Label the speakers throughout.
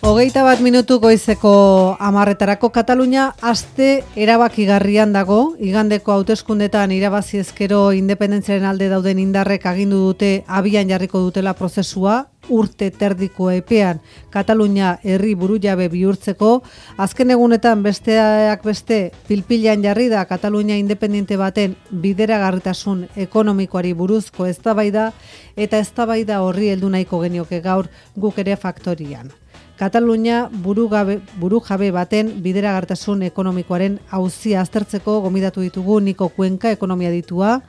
Speaker 1: 21 goizeko 10:00 Katalunia aste erabakigarrian dago. Igandeko hauteskundetan irabazi ezkero independentziaren alde dauden indarrek agindu dute abian jarriko dutela prozesua urte terdiko epean Katalunia herri burujabe bihurtzeko. Azken egunetan besteak beste pilpilan jarri da Katalunia independente baten bideragarritasun ekonomikoari buruzko eztabaida eta eztabaida horri heldu nahiko genioke gaur guk ere faktorian. Katalunia burujabe baten bideragarritasun ekonomikoaren auzia aztertzeko gomidatu ditugu Niko Cuenca ekonomia ditua.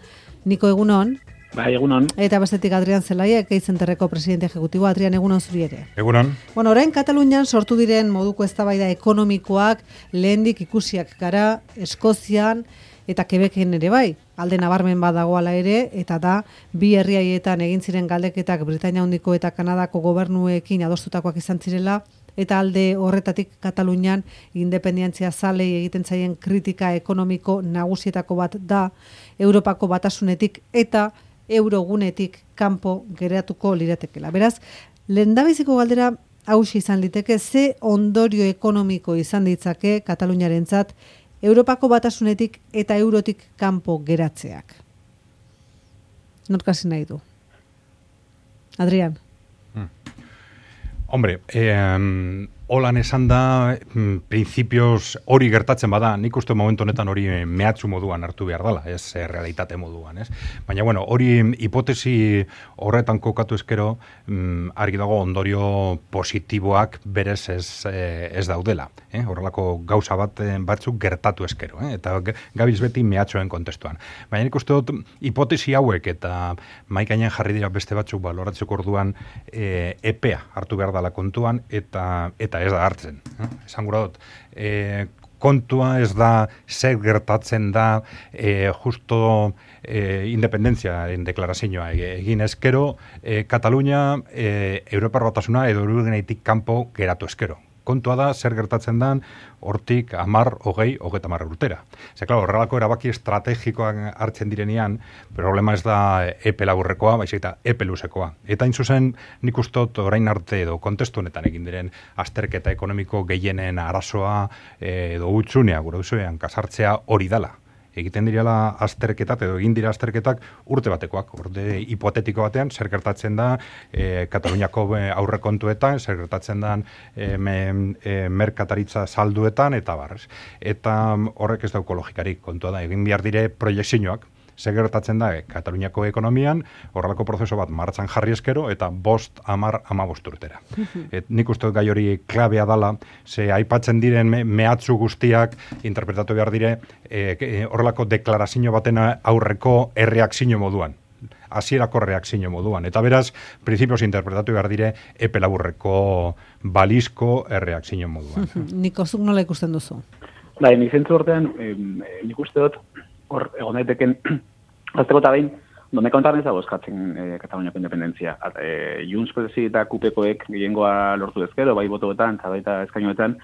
Speaker 1: Niko, egunon.
Speaker 2: Bai, egunon.
Speaker 1: Eta bestetik Adrian Zelaia, Keizenterreko presidente ejecutibo. Adrian, egunon zuri ere.
Speaker 3: Egunon.
Speaker 1: Bueno, orain Katalunian sortu diren moduko eztabaida ekonomikoak lehendik ikusiak gara Eskozian eta Quebecen ere bai. Alde nabarmen badagoala ere, eta da, bi herriaietan egin ziren galdeketak Britainia Handiko eta Kanadako gobernuekin adostutakoak izan zirela, eta alde horretatik Katalunian independentzia zalei egiten zaien kritika ekonomiko nagusietako bat da Europako batasunetik eta eurogunetik kanpo geratuko liratekela. Beraz, lehendabiziko galdera hauxe izan liteke, ze ondorio ekonomiko izan ditzake Kataluniarentzat Europako batasunetik eta eurotik kanpo geratzeak. Norkasi nahi du. Adrian.
Speaker 3: Hombre, holan esan da, principios hori gertatzen bada, nik uste momentu honetan hori mehatxu moduan hartu behar dela, ez realitate moduan, ez? Baina, bueno, hori hipotesi horretan kokatu ezkero, argi dago ondorio positiboak berez ez daudela. Horrelako gauza batzuk gertatu ezkero, eta gabiz beti mehatxoen kontestuan. Baina nik uste dut hipotesi hauek eta maikainen jarri dira beste batzuk baloratzeko orduan epea hartu behar dela kontuan eta ez da hartzen. Esan gura dut, kontua ez da zer gertatzen da justo independentziaren deklarazioa egin ezkero, Katalunia Europar batasuna edo eurogunetik kanpo geratu ezkero. Kontua da zer gertatzen dan hortik 10, 20, 30 urtera. Claro, horrelako erabaki estrategikoak hartzen direnean, problema ez da epe laburrekoa, baizik eta epe luzekoa. Eta hain zuzen nik ustot orain arte edo kontestu honetan egin diren azterketa ekonomiko gehienen arazoa edo hutsunea gure duzuean kasartzea hori dala. Egiten direla azterketak edo egin dira azterketak urte batekoak, urte hipotetiko batean, zer gertatzen da Kataluniako aurrekontuetan, zer gertatzen da merkataritza salduetan, eta barrez. Eta horrek ez dauko logikarik, kontua da, egin behar dire proiektzioak, zer gertatzen da Kataluniako ekonomian, horrelako prozeso bat martxan jarri eskero, eta 5, 10, 15 urtera. Nik uste gai hori klabea dala, ze aipatzen diren mehatxu guztiak interpretatu behar dire horrelako deklarazio baten aurreko erreakzio moduan. Hasierako reakzio moduan. Eta beraz, prinsipios interpretatu behar dire epe laburreko balizko erreakzio moduan.
Speaker 1: Niko, zuk nola ikusten duzu?
Speaker 2: Bai, nik zentzu hortean, nik uste dut, hor, egon daiteken, azteko eta behin, donde kontarren zago eskatzen Kataluniako independentzia. Junts Presi eta Kupekoek gehiengoa lortu ezkero, bai botoetan, eta baita eskainoetan,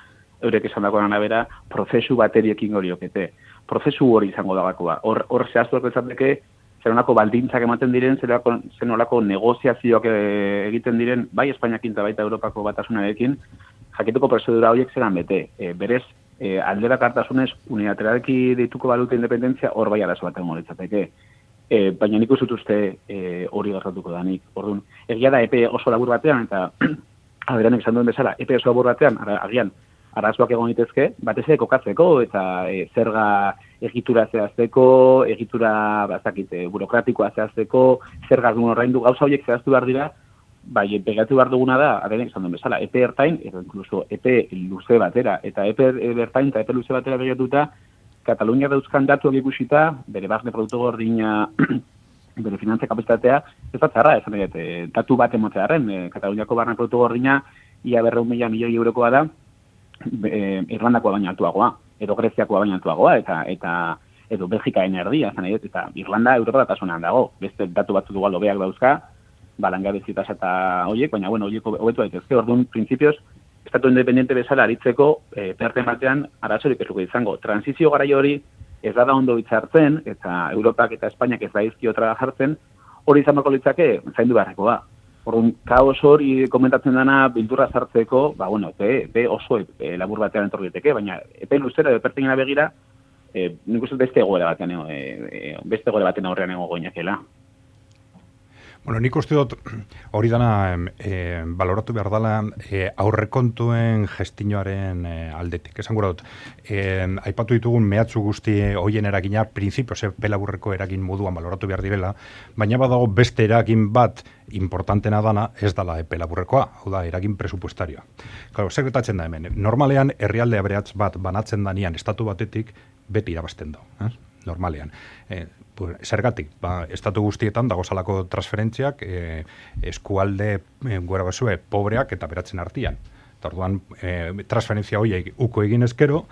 Speaker 2: eurek esan dagoen arabera, prozesu bateriekin horiokete. Prozesu hori izango dagakoa. Hor zehaztuak ezateke, zenolako baldintzak ematen diren, zenolako negoziazioak egiten diren, bai Espainiakin eta baita Europako batasunarekin, jakituko prozedura horiek zelan bete. Berez, alderakartasunez unilateralki deituko balute independentzia hor bai arazo baten litzateke. Baina nik uste uste hori gertatuko danik. Orduan, egia da epe oso labur batean, eta Adrianek esan duen bezala, epe oso labur batean, agian, arazoak egon ditezke, batez ere kokatzeko, eta zerga egitura zehazteko, egitura burokratikoa zehazteko, zerga ordaindu gauza horiek zehaztu behar dira, bai, pegatu behar duguna da, Adrianek esan duen bezala, epe ertain, edo inkluso epe luze batera, eta epe ertain eta epe luze batera begatuta, Katalunia dauzkan datuak ikusita, bere barne produktu gordina, bere finantza kapazitatea, ez da txarra, esan egin, datu bat emotzearen, Kataluniako barne produktu gordina, ia 200 milioi eurokoa da, Irlandakoa baina altuagoa, edo Greziakoa baina altuagoa, eta edo Belgikaen erdia, eta Irlanda Europa batasunean dago, beste datu batzu dugu aldo beak dauzka, langabezia eta horiek, baina bueno, horiek hobetu daitezke, orduan, printzipioz, estatu independiente bezala aritzeko, perten batean, arazorik ez luke izango. Transizio garai hori ez da ondo hitzartzen, eta Europak eta Espainiak ez da izkio trabajartzen, hori izan bako litzake, zaindu beharrekoa. Orduan, kaos hori komentatzen dana bildurra sartzeko, be oso labur batean etorri daiteke, baina epe luzera edo pertingena begira, nik uste beste egoera batean aurrean egongo ginekela.
Speaker 3: Bueno, nik uste dut hori dana baloratu behar dela aurrekontuen gestinoaren aldetik. Esan gura dut, aipatu ditugun mehatzu guzti hoien eragina, printzipioz pelaburreko eragin moduan baloratu behar direla, baina badago beste eragin bat importantena dana ez dala pelaburrekoa, hau da, eragin presupuestarioa. Claro, zer gertatzen da hemen, normalean herrialde aberats bat banatzen danian estatu batetik beti irabazten da, normalean. Zergatik, estatu guztietan dagozalako transferentziak eskualde gora basue pobreak eta beratzen artean. Orduan, transferentzia horiek uko egin ezkero,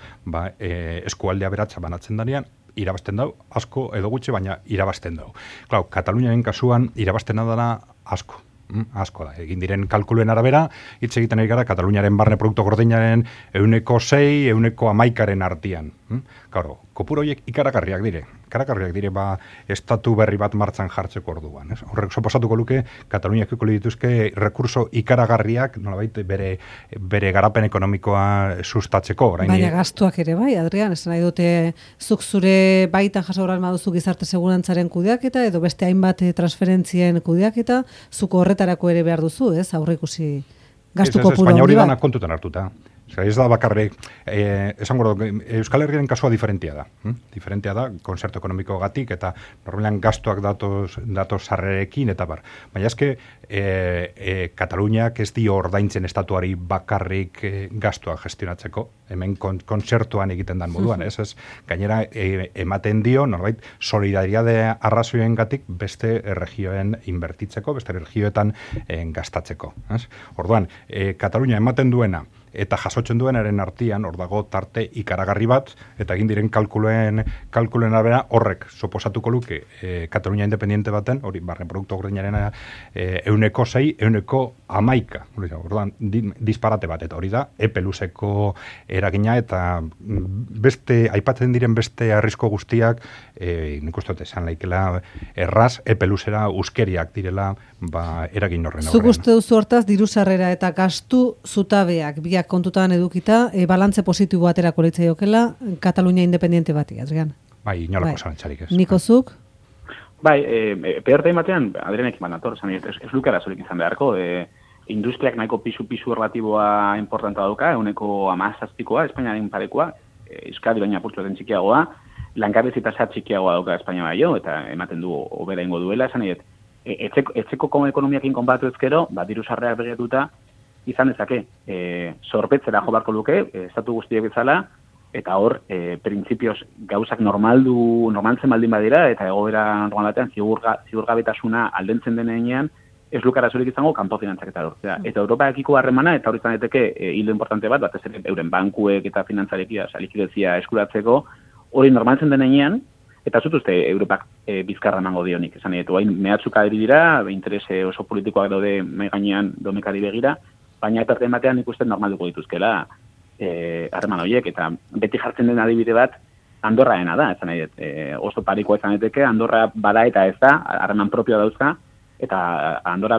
Speaker 3: eskualdea beratza banatzen danean, irabazten dau, asko edo gutxi, baina irabazten dau. Klau, Kataluniaren kasuan irabazten dana asko da. Egin diren kalkuluen arabera, hitz egiten ari gara Kataluniaren barne produktu gordinaren 6%, 11% artean. Claro, kopuro horiek ikaragarriak dire estatu berri bat martzan jartzeko orduan. Horrek suposatuko luke, Kataluniak eko dituzke rekurso ikaragarriak, nolabait bere garapen ekonomikoa sustatzeko.
Speaker 1: Baina gastuak ere bai, Adrian, esan nahi dute zuk zure baitan jasauran maduzu gizarte segurantzaren kudeaketa, edo beste hainbat transferentzien kudeaketa, zuko horretarako ere behar duzu, ez? Aurreikusi gastu kopuru hori bat.
Speaker 3: Baina hori dana kontutan hartuta. Ez da bakarrik, esango Euskal Herriaren kasua diferentia da. Diferentia da, konzertu ekonomiko gatik, eta normalean gastuak datoz sarrerekin, eta bar. Baina eske, Kataluniak ez dio ordaintzen estatuari bakarrik gastuak gestionatzeko, hemen konzertuan egiten dan moduan, ez? Gainera, ematen dio, norbait, solidariade arrazoien gatik beste regioen inbertitzeko, beste regioetan gastatzeko. Orduan, Katalunia ematen duena, eta jasotzen duenaren artean hor dago tarte ikaragarri bat, eta egin diren kalkuluen arabera horrek suposatuko luke Katalunia independiente baten, hori barne produktu gordinaren 6%, 11%. Orduan, disparate bat, eta hori da, epe luzeko eragina, eta beste, aipatzen diren beste arrizko guztiak, nik uste dut esan laikela, erraz, epe luzera uskeriak direla, eragin horren aurrean.
Speaker 1: Zuk uste duzu hortaz, diru sarrera eta gastu zutabeak, biak kontutan edukita, balantze positibo aterako litzaiokela Katalunia independiente bati, Adrian.
Speaker 3: Bai, inolako zalantzarik ez.
Speaker 1: Niko zuk?
Speaker 2: Bai, peortein batean, Adrianek banator, ez lukara zorik izan beharko, industriak nahiko pisu relatiboa importanta dauka, 17%, Espainiaren parekoa, Euskadi baina apurtuaten txikiagoa, langabezi tasa txikiagoa dauka Espainia baino, eta ematen du hobera ingo duela, esan edo, etzeko ekonomiakin konbatu ezkero, diru sarrerak begiratuta, izan dezake, zorpetzera jo barko luke, estatu guztiek bezala, eta hor, printzipioz gauzak normaltzen baldin badira, eta egoera normal batean ziurgabetasuna aldentzen denean, ez lukara zurik izango kanpo finantzaketa lortzea. Eta Europaekiko harremana, eta hori izan daiteke hildo importante bat, batez ere euren bankuek eta finantzarekia, likidezia eskuratzeko, hori normaltzen denean, eta zutuzte Europak bizkarra emango dionik. Esan edo, hain mehatzuka dira, interese oso politikoak daude mai gainean domekari begira, baina eta batean ikusten normalduko dituzkela harreman horiek, eta beti jartzen den adibide bat Andorraena da, esan nahi, oso parikoa izan daiteke, Andorra bada eta ez da, harreman propioa dauzka, eta Andorra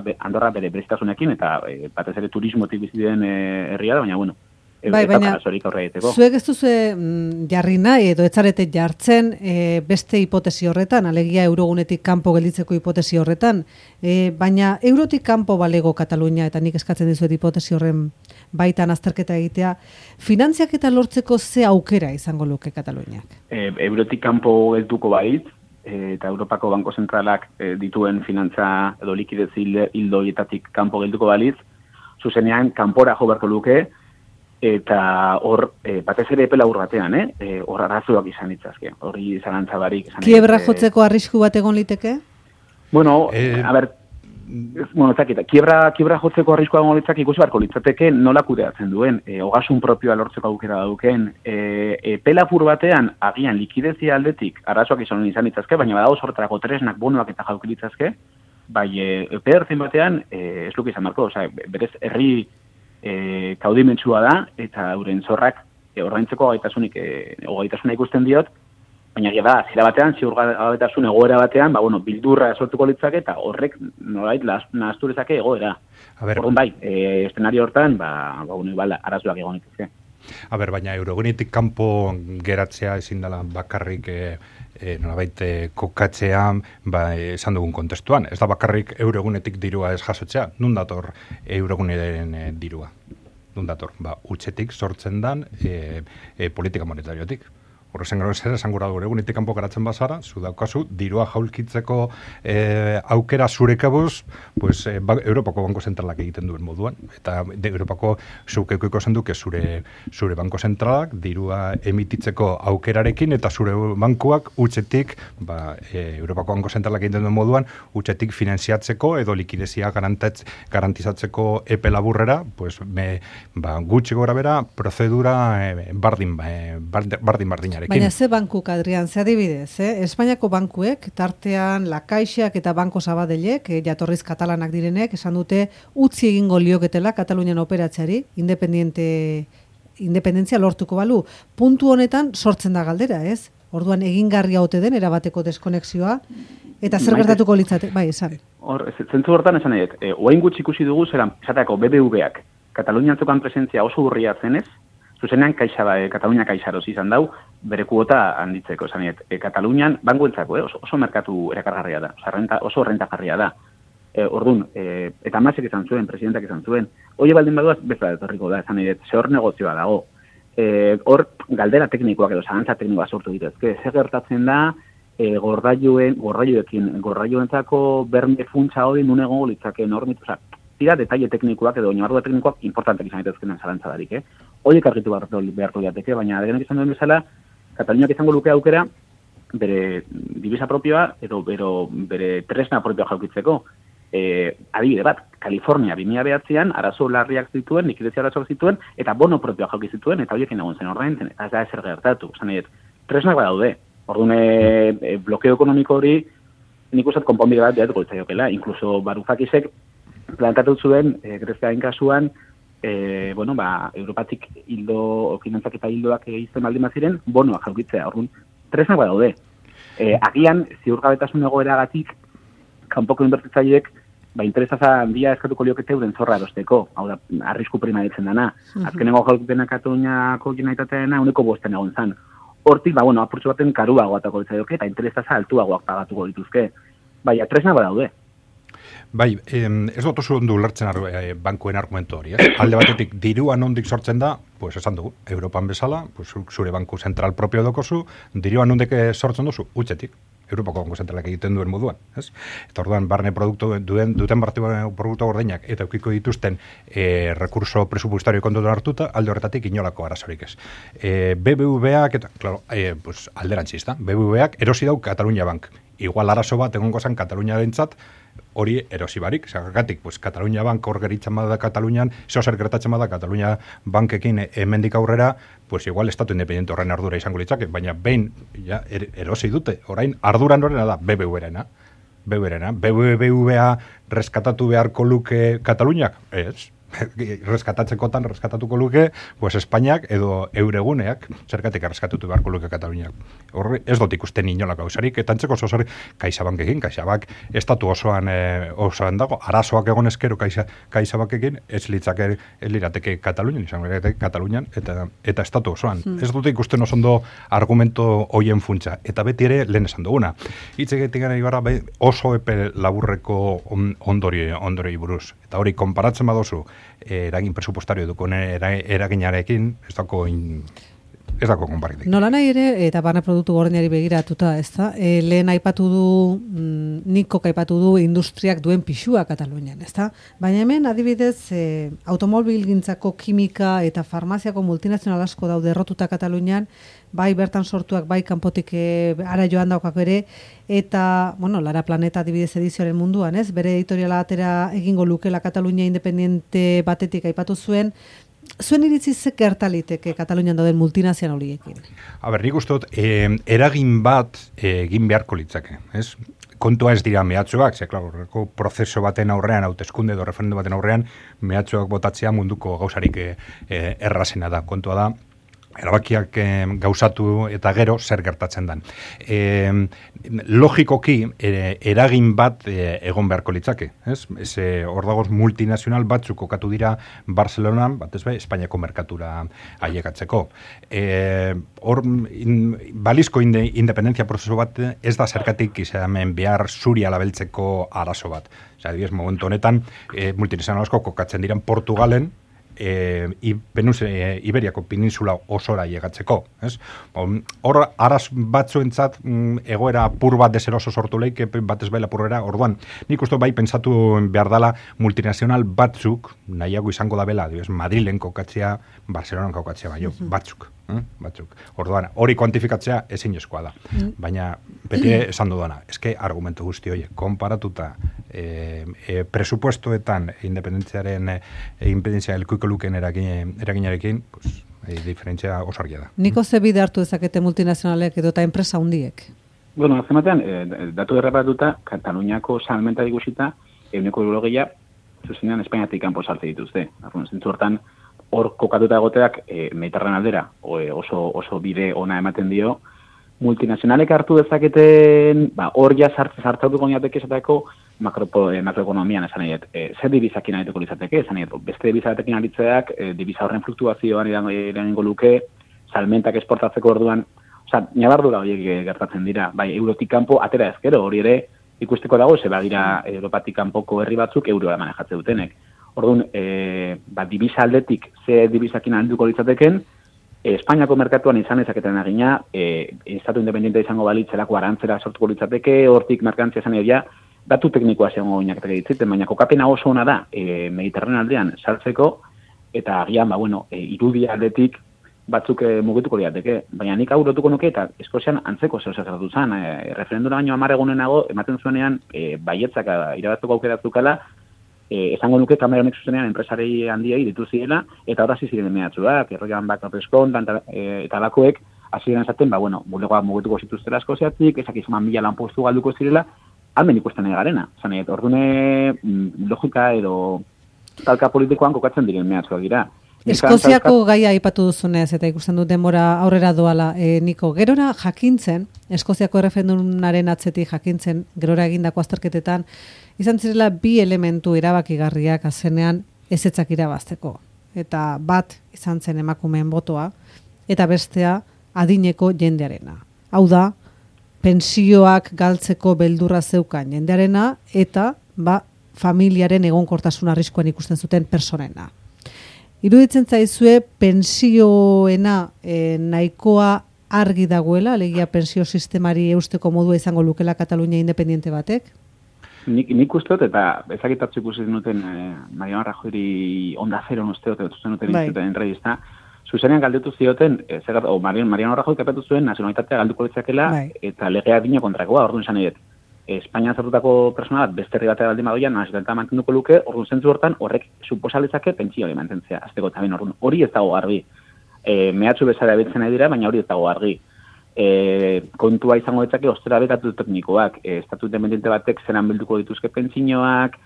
Speaker 2: bere berezitasunekin, eta batez ere turismotik bizi den herria da, baina bueno,
Speaker 1: baina zuek ez duzu jarri nahi edo etzarete jartzen beste hipotesi horretan, alegia eurogunetik kanpo gelditzeko hipotesi horretan, baina eurotik kanpo balego Katalunia, eta nik eskatzen dizuet hipotesi horren baitan azterketa egitea, finantziak eta lortzeko ze aukera izango luke Kataluniak?
Speaker 2: Eurotik kanpo gelduko bait, eta Europako Banko Zentralak dituen finantza edo likidez hildoietatik kanpo gelduko baliz, zuzenean kanpora jo beharko luke, eta hor, batez ere epe labur batean, hor arazoak izan ditzazke, hori zalantza barik.
Speaker 1: Kiebra jotzeko arrisku bat egon liteke?
Speaker 2: Bueno, kiebra jotzeko arriskoa egon litzak ikusi barko litzateke nola kudeatzen duen, ogasun propioa lortzeko aukera dauken, epe labur batean agian likidezia aldetik arazoak izan ditzazke, baina badago sortarako tresnak bonoak eta jauki ditzazke, bai epe ertzen batean ez luke izan barko, berez herri kaudimentsua da, eta euren zorrak ordaintzeko gaitasuna ikusten diot, baina da, zera batean, ziurgabetasun egoera batean, bildurra sortuko litzake, eta horrek nolait nahaztu dezake egoera. Orduan bai, eszenario hortan, arazoak egon dituzke.
Speaker 3: Baina eurogunetik kanpo geratzea ezin dela bakarrik nolabait kokatzea esan dugun kontestuan. Ez da bakarrik eurogunetik dirua ez jasotzea. Nun dator euroguneren dirua? Nun dator? Utxetik sortzen dan politika monetariotik. Horrezen gero esan gura dugu, egunetik kanpo garatzen bazara, zu daukazu, dirua jaulkitzeko aukera zurekabuz, Europako Banko Zentralak egiten duen moduan. Eta Europako zukeko ikozen duke zure Banko Zentralak dirua emititzeko aukerarekin, eta zure bankuak utxetik, Europako Banko Zentralak egiten duen moduan, utxetik finanziatzeko edo likidezia garantizatzeko epe laburrera, gutxi gora bera, prozedura bardin-bardinare.
Speaker 1: Baina ze bankuk, Adrian, ze adibidez, Espainiako bankuek, tartean La Caixak eta Banko Sabadelek, jatorriz katalanak direnek, esan dute utzi egingo lioketela Katalunian operatzeari, independentzia lortuko balu. Puntu honetan sortzen da galdera, ez? Orduan egingarria ote den erabateko deskonexioa, eta zer gertatuko litzate, esan.
Speaker 2: Zentzu hortan esan edet, oain gutxi ikusi dugu zelan, esateko BBVak, Katalunian zokan presentzia oso urria zenez, zuzenean Katalunia kaixaroz izan dau, bere kuota handitzeko, esan Katalunian, bankuentzako, oso merkatu erakargarria da, oso rentagarria da. Orduan, eta Masek izan zuen, presidentak izan zuen, hori baldin baduaz, bezala etorriko da, esan ze hor negozioa dago. Hor, galdera teknikoak edo zagantza teknikoa sortu dituzke, zer gertatzen da, gorraioentzako berme funtsa hori nun egongo litzake normitu, tira detaile teknikoak edo oinarrua teknikoak importantak izan daitezkenen zalantzadarik, Horiek argitu beharko diateke, baina adegenek izan duen bezala, Kataluniak izango luke aukera, bere divisa propioa, edo bere tresna propioa jaukitzeko. Adibide bat, Kalifornia 2009an arazo larriak zituen, likidezia arazoak zituen, eta bono propioa jauki zituen, eta horiek egon zen ordaintzen, eta ez da ezer gertatu. Tresnak badaude. Orduan, blokeo ekonomiko hori, nik uste konponbide bat behatuko itzaiokela. Inkluso Varoufakisek plantatu zuen, Greziaren kasuan, Europatik finantzak eta hildoak egizten baldin baziren, bonoak jaukitzea. Orduan, tresnak badaude. Agian, ziurgabetasun egoeragatik, kanpoko inbertitzaileek, interesaza handia eskatuko liokete euren zorra erosteko, hau da, arrisku prima ditzen dana. Azkenengo jaulkipena Kataluniako generalitateena 5% egon zan. Hortik, apurtxo baten karuago atako ditzaioke, eta interesaza altuagoak pagatuko dituzke. Tresnak badaude.
Speaker 3: Ez dut oso ondo ulertzen bankuen argumentu hori. Alde batetik, dirua nondik sortzen da, esan dugu, Europan bezala, zure banku zentral propio dokozu, dirua nondik sortzen duzu, utxetik. Europako Banko Zentralak egiten duen moduan. Eta orduan, barne duten produktu gordinak eta eukiko dituzten rekurso presupuestario kontutan hartuta, alde horretatik inolako arazorik ez. BBVak, alderantzista, BBVak erosi dau Katalunia Bank. Igual arazo bat egongo zen Katalunia dentzat, hori erosi barik. Zagatik, Katalunia Bank hor geritzen bada Katalunian, zer gertatzen bada Katalunia Bankekin hemendik aurrera, igual estatu independente horren ardura izango litzake, baina behin erosi dute, orain arduran horrena da BBVarena. BBVA reskatatu beharko luke Kataluniak? Ez. reskatatuko luke, Espainiak edo eureguneak, zergatik reskatutu beharko luke Kataluniak. Horre, ez dut ikusten inolako hausarik, eta antzeko zozari Kaixabankekin, Kaixabak estatu osoan dago, arazoak egon eskero Kaixabankekin, ez lirateke Katalunian, izango lirateke Katalunian, eta estatu osoan. Ez dut ikusten osondo argumento hoien funtsa, eta beti ere lehen esan duguna. Hitzegetik gara ibarra oso epe laburreko ondori buruz. Eta hori, konparatzen badozu, eragin presupuestario dukon eraginarekin, ez dako konparitik.
Speaker 1: Nola nahi ere, eta barne produktu gordinari begiratuta, ez da? Lehen aipatu du, Nikok aipatu du industriak duen pixua Katalunian, ez da? Baina hemen, adibidez, automobilgintzako kimika eta farmaziako multinazional asko daude errotuta Katalunian, bai bertan sortuak, bai kanpotik ara joan daukak ere, eta, Lara Planeta adibidez edizioaren munduan, ez? Bere editoriala atera egingo lukela Katalunia independente batetik aipatu zuen. Zuen iritzi ze gertaliteke Katalunian dauden multinazional horiekin?
Speaker 3: Nik uste dut, eragin bat egin beharko litzake, ez? Kontua ez dira mehatxoak, klaro, prozeso baten aurrean, hauteskunde edo referendum baten aurrean, mehatxoak botatzea munduko gauzarik errazena da. Kontua da, erabakiak gauzatu eta gero zer gertatzen dan. Logikoki eragin bat egon beharko litzake, ez? Hor dagoz multinazional batzuk kokatu dira Barcelonan, batez be, Espainiako merkatura ailegatzeko. Hor, balizko independentzia prozesu bat ez da zergatik izamen behar zuri alabeltzeko arazo bat. Adibidez, momentu honetan, multinazional asko kokatzen diren Portugalen, Iberiako peninsula osora llegatzeko, ez? Hor araz batzuentzat egoera apur bat deseroso sortu leik, batez baila apurrera, orduan, nik uste bai pentsatu behar dala multinazional batzuk, nahiago izango da bela, Madrilen kokatzea, Barcelonan kokatzea baino, batzuk. Orduan, hori kuantifikatzea ezinezkoa da. Baina, beti esan dudana, eske argumentu guzti horiek, konparatuta presupuestoetan independentzia elkuiko luken eraginarekin, pues, diferentzia oso argia da.
Speaker 1: Niko ze bide hartu dezakete multinazionalek edo eta enpresa hundiek?
Speaker 2: Bueno, azematean, datu errapatuta, Kataluniako salmenta digusita, 100%, zuzenean Espainiatik kanpo sartze dituzte. Zentzu hortan, hor kokatuta egoteak Mediterran aldera oso bide ona ematen dio. Multinazionalek hartu dezaketen, hor ja sartzatuko niateke esateko makroekonomian esan nahiet. Zer dibizakin arituko izateke, esan nahiet, beste dibizatekin aritzeak, dibiza horren fluktuazioan eragingo luke, salmentak esportatzeko orduan, nabardura horiek gertatzen dira, bai, eurotik kanpo atera ezkero, hori ere ikusteko dago, ze badira Europatik kanpoko herri batzuk euroa manejatze dutenek. Orduan, dibiza aldetik ze dibizakin arituko litzateken, Espainiako merkatuan izan ezaketen agina, estatu independiente izango balitzelako arantzera sortuko litzateke, hortik merkantzia izan edo datu teknikoa zegoen goinaketeke ditziten, baina kokapena oso ona da Mediterran aldean sartzeko, eta agian, irudi aldetik batzuk mugituko liateke. Baina nik hau lotuko nuke, eta Eskozian antzeko zeu zertatu zen, referendura baino 10 egunenago, ematen zuenean, baietzak irabaztuko aukeratzukala, esango nuke kameronek zuzenean enpresarei handiei ditu zirela, eta horra ziren mehatzuak, erroian bakapeskon, eta lakoek, hasieren esaten, bulegoa mugetuko zituztela Eskoziatik, ezak izan 1000 lanpostu galduko zirela, almen ikusten garena. Zanet, ordune logika edo talka politikoan kokatzen diren mehatzuak dira.
Speaker 1: Eskoziako gaia aipatu duzunez, eta ikusten dut denbora aurrera doala, Niko, gerora jakintzen, Eskoziako erreferendumaren atzetik jakintzen, gerora egindako azterketetan, izan zirela bi elementu erabakigarriak azenean ezetzak irabazteko. Eta bat izan zen emakumeen botoa, eta bestea adineko jendearena. Hau da, pensioak galtzeko beldurra zeukan jendearena, eta familiaren egonkortasun arriskuan ikusten zuten personena. Iruditzen zaizue pensioena nahikoa argi dagoela, alegia pensio sistemari eusteko modua izango lukela Katalunia independiente batek?
Speaker 2: Nik usteot, eta ezagitatzu ikusi duten Mariano Rajoyri Onda Zero usteot, zuten entrevista, zuzenean galdetu zioten, Mariano Rajoy kapatu zuen nazionalitatea galduko litzakela, eta legea dino kontrakoa, orduan esan edet. Espainia zartutako persona bat, beste herri batea baldin badoian, nazionalitatea mantenduko luke, orduan zentzu hortan, horrek suposaletzake pentsio hori mantentzea, azteko eta orduan. Hori ez dago garbi. Mehatxu bezala abetzen nahi dira, baina hori ez dago garbi. Kontua izango ditzake ostera bekatu teknikoak, estatu independiente batek zeran bilduko dituzke pentsinoak,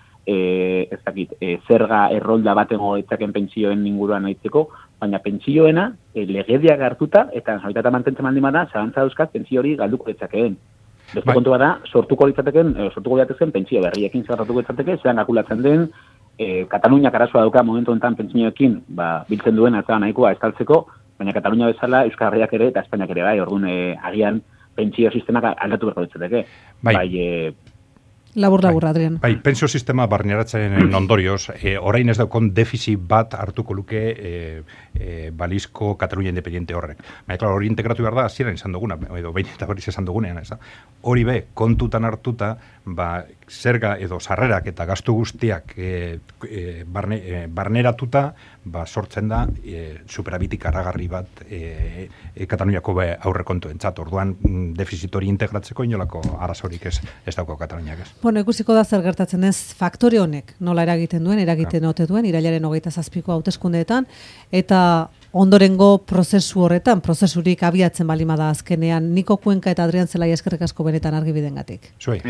Speaker 2: zerga errolda batengo ditzaken pentsioen inguruan aitzeko, baina pentsioena legediak hartuta eta nazionalitatea mantentzen baldin bada, zalantza dauzkat pentsio hori galduko ditzakeen. Beste kontua da, sortuko ditzateken pentsio berriekin zerratuko ditzateke, zelan kalkulatzen den, Kataluniak arazoa dauka momentu enten pentsioekin, biltzen duen atzera nahikoa estaltzeko, baina Katalunia bezala Euskal Herriak ere eta Espainiak ere orduan agian pentsio sistemak aldatu berko ditzateke.
Speaker 1: Labur, Adrian.
Speaker 3: Pentsio sistema barneratzen ondorioz, orain ez daukon defizit bat hartuko luke balizko Katalunia independiente horrek. Baina, hori integratu behar da, hasieran izan duguna, edo behin eta hori izan dugunean, ez da. Hori kontutan hartuta, zerga edo sarrerak eta gastu guztiak barneratuta, sortzen da superabitik aragarri bat Kataluniako aurrekontuentzat. Orduan, defizit hori integratzeko inolako arazorik ez dauko Kataluniak ez.
Speaker 1: Bueno, ikusiko da zer gertatzen ez faktore honek nola eragiten ote duen, irailaren 27ko hauteskundeetan, eta ondorengo prozesu horretan, prozesurik abiatzen balima da azkenean, Niko Kuenka eta Adrian Zelai eskerrik asko benetan argibidengatik.
Speaker 3: Zuei.